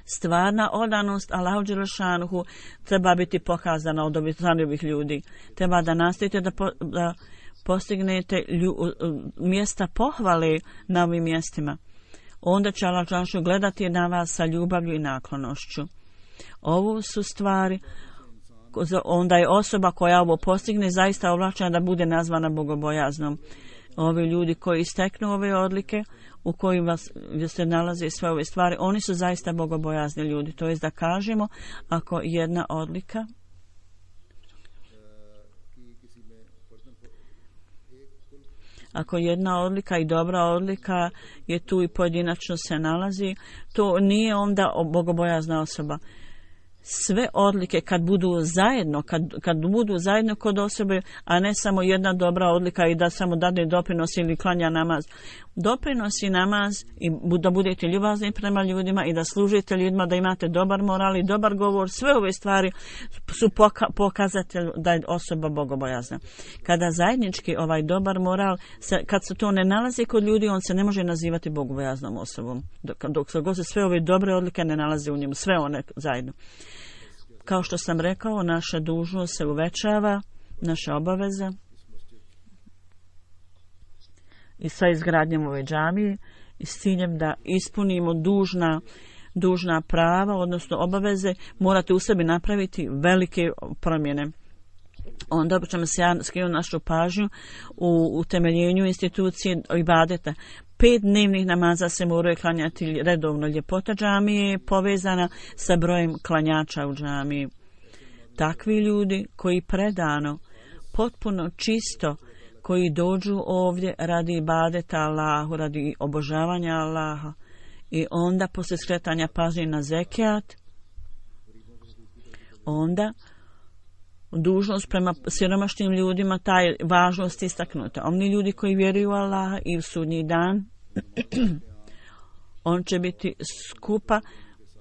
Speaker 3: Stvarna odanost Allahu dželešanuhu treba biti pokazana od ovih ljudi. Treba da nastavite da, po, da postignete lju, mjesta pohvale na ovim mjestima. Onda će Allah dželešanuhu gledati na vas sa ljubavlju i naklonošću. Ovo su stvari, onda je osoba koja ovo postigne zaista ovlašćena da bude nazvana bogobojaznom. Ovi ljudi koji isteknu ove odlike, u kojim vas, gdje se nalaze sve ove stvari, oni su zaista bogobojazni ljudi. To jest da kažemo, ako jedna odlika ako jedna odlika i dobra odlika je tu i pojedinačno se nalazi, to nije onda bogobojazna osoba. Sve odlike kad budu zajedno, kad, kad budu zajedno kod osobe, a ne samo jedna dobra odlika i da samo dade doprinos ili klanja namaz. Doprinosi namaz i da budete ljubazni prema ljudima i da služite ljudima, da imate dobar moral i dobar govor, sve ove stvari su poka- pokazatelj da je osoba bogobojazna. Kada zajednički ovaj dobar moral, se, kad se to ne nalazi kod ljudi, on se ne može nazivati bogobojaznom osobom. Dok, dok se god se sve ove dobre odlike ne nalaze u njemu, sve one zajedno. Kao što sam rekao, naša dužnost se uvećava, naša obaveza i sa izgradnjom ove džamije i s ciljem da ispunimo dužna, dužna prava, odnosno obaveze, morate u sebi napraviti velike promjene. Onda ćemo se ja skrenuti našu pažnju u utemeljenju institucije ibadeta. Pet dnevnih namaza se moraju klanjati redovno. Ljepota džamije je povezana sa brojem klanjača u džamiji. Takvi ljudi koji predano potpuno čisto, koji dođu ovdje radi ibadeta Allahu, radi obožavanja Allaha, i onda poslije skretanja pažnje na zekijat, onda dužnost prema siromašnim ljudima, taj važnost istaknuta. Oni ljudi koji vjeruju u Allaha i u sudnji dan, on će biti skupa,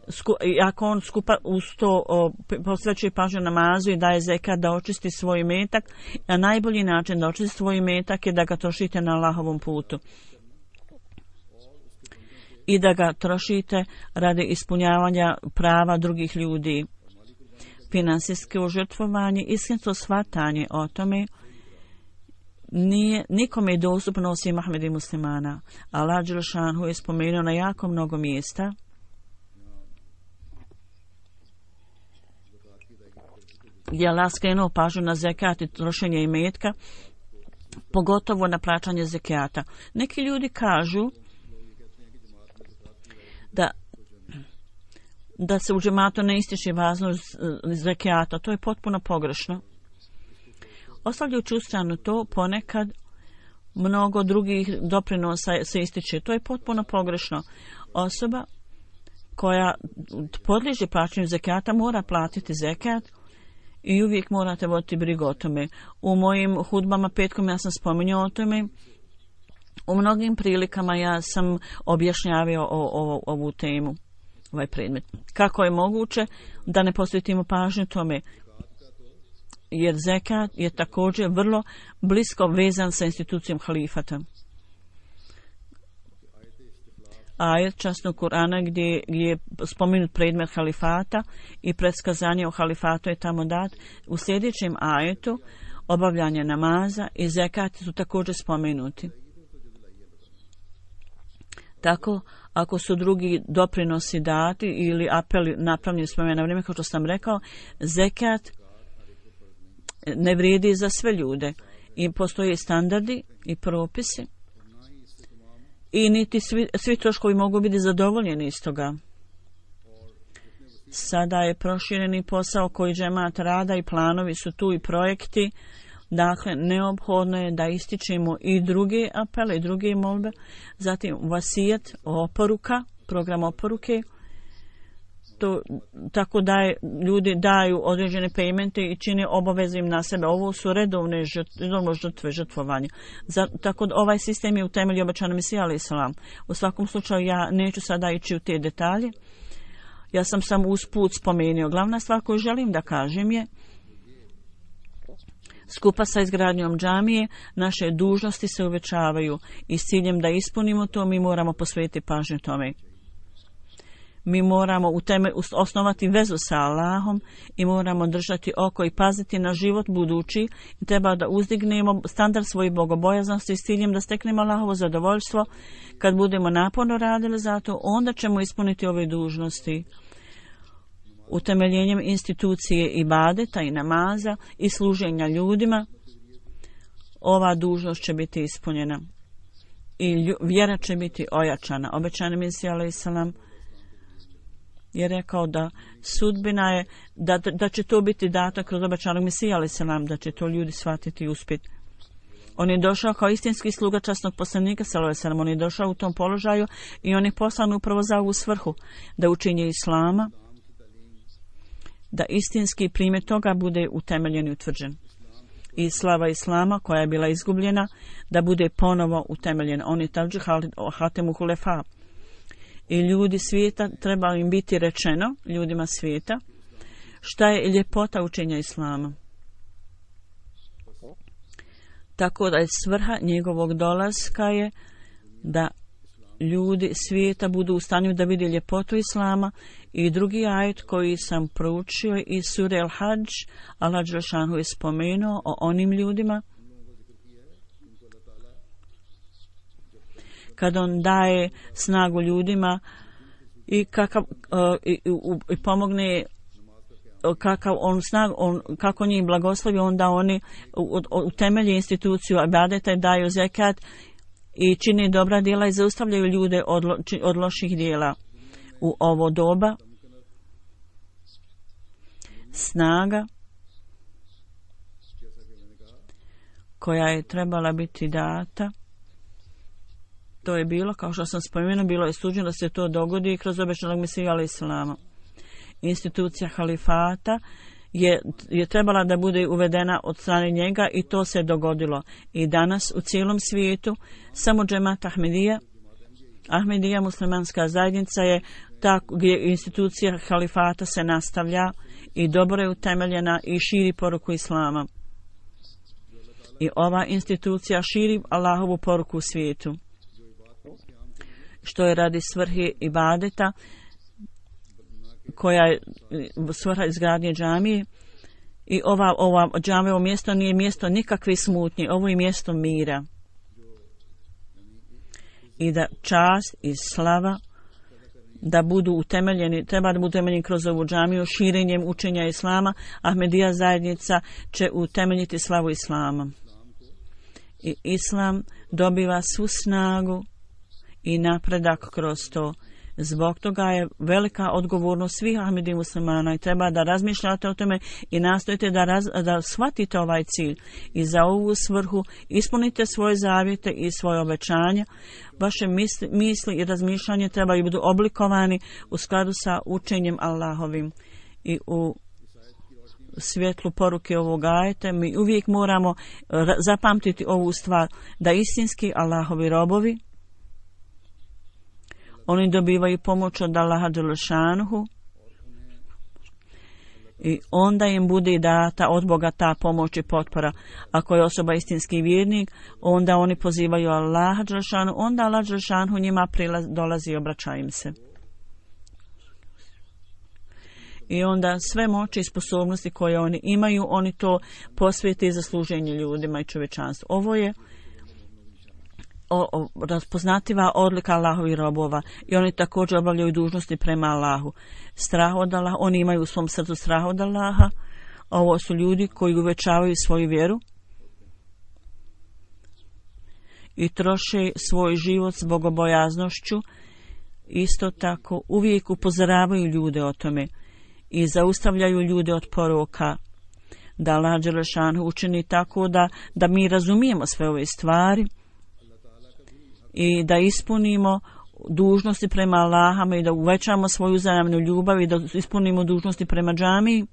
Speaker 3: sku, ako on skupa uz to posvećuje pažnju namazu i daje zekat da očisti svoj imetak, a najbolji način da očisti svoj imetak je da ga trošite na Allahovom putu i da ga trošite radi ispunjavanja prava drugih ljudi. Finansijsko žrtvovanje, istinsko shvatanje o tome nije nikome dostupno osim Ahmed i muslimana. Allah dželešanu je spomenuo na jako mnogo mjesta gdje Allah skrenuo pažnju na zekat i trošenje imetka, pogotovo na plaćanje zekata. Neki ljudi kažu da da se u džematu ne ističe važnost zekijata. To je potpuno pogrešno. Ostavljajući u stranu to, ponekad mnogo drugih doprinosa se ističe. To je potpuno pogrešno. Osoba koja podliježe plaćanju zekijata mora platiti zekijat i uvijek morate voditi brigu o tome. U mojim hudbama petkom ja sam spominjao o tome. U mnogim prilikama ja sam objašnjavio o, o, ovu temu, ovaj predmet. Kako je moguće da ne posvetimo pažnju tome? Jer zekat je također vrlo blisko vezan sa institucijom halifata. Ajet časnog Kur'ana gdje, gdje je spomenut predmet halifata i predskazanje o halifatu je tamo dat. U sljedećem ajetu obavljanje namaza i zekat su također spomenuti. Tako, ako su drugi doprinosi dati ili apeli napravljeni s na vrijeme, kao što sam rekao, zekat ne vrijedi za sve ljude. I postoje standardi i propisi i niti svi, svi troškovi mogu biti zadovoljeni iz toga. Sada je prošireni posao koji džemat rada i planovi su tu i projekti. Dakle, neophodno je da ističemo i druge apele i druge molbe. Zatim vasijet, oporuka, program oporuke. To, tako da je, ljudi daju određene paymente i čine obaveze im na sebe. Ovo su redovne žrtve, žrtve žrtvovanja. Za, tako da ovaj sistem je u temelju obećanog Mesija alejhi selam. U svakom slučaju ja neću sada ići u te detalje. Ja sam samo usput spomenuo. Glavna stvar koju želim da kažem je, skupa sa izgradnjom džamije naše dužnosti se uvećavaju i s ciljem da ispunimo to mi moramo posvetiti pažnju tome. Mi moramo u teme osnovati vezu sa Allahom i moramo držati oko i paziti na život budući i treba da uzdignemo standard svoje bogobojaznosti s ciljem da steknemo Allahovo zadovoljstvo. Kad budemo naporno radili za to, onda ćemo ispuniti ove dužnosti. Utemeljenjem institucije ibadeta i namaza i služenja ljudima, ova dužnost će biti ispunjena i vjera će biti ojačana. Obećani Mesija alejhi selam je rekao da sudbina je da, da će to biti dato kroz obećanog Mesija alejhi selam, da će to ljudi shvatiti i uspjeti. On je došao kao istinski sluga časnog poslanika sallallahu alejhi ve sellem. On je došao u tom položaju i on je poslan upravo za ovu svrhu, da učinje islama, da istinski primjer toga bude utemeljen i utvrđen. I slava islama koja je bila izgubljena, da bude ponovo utemeljena. On je tađi hatemu hulefa. I ljudi svijeta, treba im biti rečeno, ljudima svijeta, šta je ljepota učenja islama. Tako da je svrha njegovog dolaska je da ljudi svijeta budu u stanju da vide ljepotu islama. I drugi ajet koji sam proučio iz sure Al-Hadž, Allah dželešanu je spomenuo o onim ljudima kad on daje snagu ljudima i kakav uh, i, u, i pomogne kakav on snag, on, kako njih blagoslovi, onda oni utemelje instituciju ibadeta i daju zekat i čine dobra djela i zaustavljaju ljude od, lo, od loših djela. U ovo doba snaga koja je trebala biti data. To je bilo, kao što sam spomenuo, bilo je suđeno da se to dogodi kroz obećanog Mesiju alejhi selama. Institucija halifata je, je trebala da bude uvedena od strane njega i to se dogodilo. I danas u cijelom svijetu samo džemat Ahmedija, Ahmedija muslimanska zajednica je ta gdje institucija halifata se nastavlja i dobro je utemeljena i širi poruku islama. I ova institucija širi Allahovu poruku u svijetu, što je radi svrhe ibadeta, koja je svrha izgradnje džamije. I ova, ova džamija, ovo mjesto nije mjesto nikakve smutnje, ovo je mjesto mira. I da čast i slava da budu utemeljeni, treba da budu utemeljeni kroz ovu džamiju, širenjem učenja islama. Ahmedija zajednica će utemeljiti slavu islama. I islam dobiva svu snagu i napredak kroz to. Zbog toga je velika odgovornost svih Ahmedija muslimana i treba da razmišljate o tome i nastojite da, raz, da shvatite ovaj cilj i za ovu svrhu ispunite svoje zavjete i svoje obećanja. Vaše misli, misli i razmišljanje trebaju biti oblikovani u skladu sa učenjem Allahovim. I u svjetlu poruke ovog ajeta mi uvijek moramo zapamtiti ovu stvar, da istinski Allahovi robovi, oni dobivaju pomoć od Allaha dželešanuhu i onda im bude data od Boga ta pomoć i potpora. Ako je osoba istinski vjernik, onda oni pozivaju Allaha dželešanuhu, onda Allah dželešanuhu njima prilaz, dolazi i obraća im se. I onda sve moći i sposobnosti koje oni imaju, oni to posvijete za služenje ljudima i čovječanstvu. Ovo je O, o, raspoznativa odlika Allahovih robova i oni također obavljaju dužnosti prema Allahu. Strah od Allaha, oni imaju u svom srcu strah od Allaha. Ovo su ljudi koji uvećavaju svoju vjeru i troše svoj život s bogobojaznošću. Isto tako uvijek upozoravaju ljude o tome i zaustavljaju ljude od poroka. Da Allah dželešanu učini tako da, da mi razumijemo sve ove stvari i da ispunimo dužnosti prema Allahama i da uvećamo svoju uzajamnu ljubav i da ispunimo dužnosti prema džamiji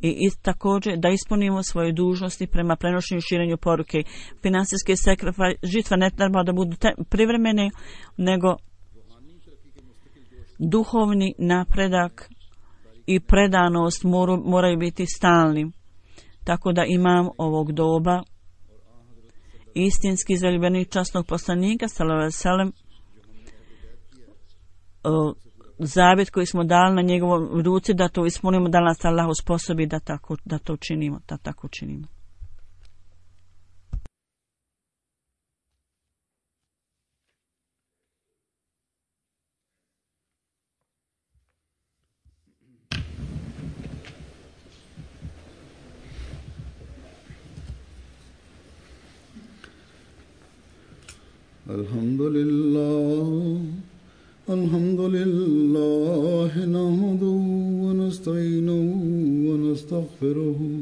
Speaker 3: i, i također da ispunimo svoje dužnosti prema prenošenju i širenju poruke. Finansijske sakrifaj, žrtve ne treba da budu te, privremene, nego duhovni napredak i predanost moru, moraju biti stalni. Tako da imam ovog doba, istinski zaljubljenik časnog poslanika sallallahu alejhi ve sellem, zavjet koji smo dali na njegovom ruci da to ispunimo, da nas Allah usposobi da tako da to činimo, da tako činimo.
Speaker 1: Alhamdulillah, alhamdulillah, nahmaduhu wa nasta'inuhu wa nastaghfiruhu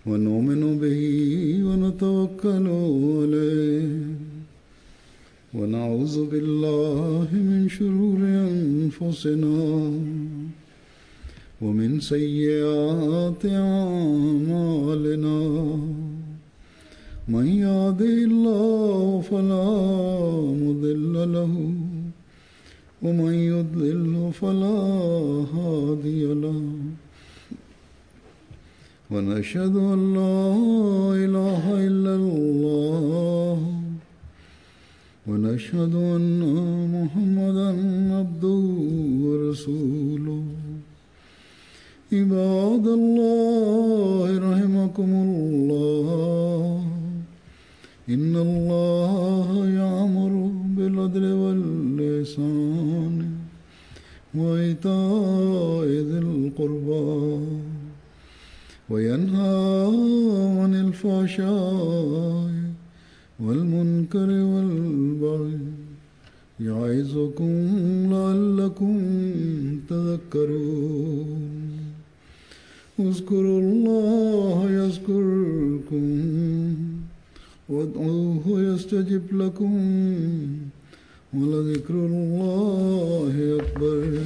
Speaker 1: wa nu'minu bihi wa natawakkalu alayhi wa na'udhu billahi min shururi anfusina wa min sayyiati a'malina. من يهده الله فلا مضل له ومن يضلل فلا هادي له ونشهد أن لا إله إلا الله ونشهد أن محمدا عبده ورسوله. عباد الله رحمكم الله إن الله يأمر بالعدل والإحسان وإيتاء ذي القربى وينهى عن الفحشاء والمنكر والبغي يعظكم لعلكم تذكرون. اذكروا الله يذكركم يدعوكم وادعوه يستجب لكم ولذكر الله أكبر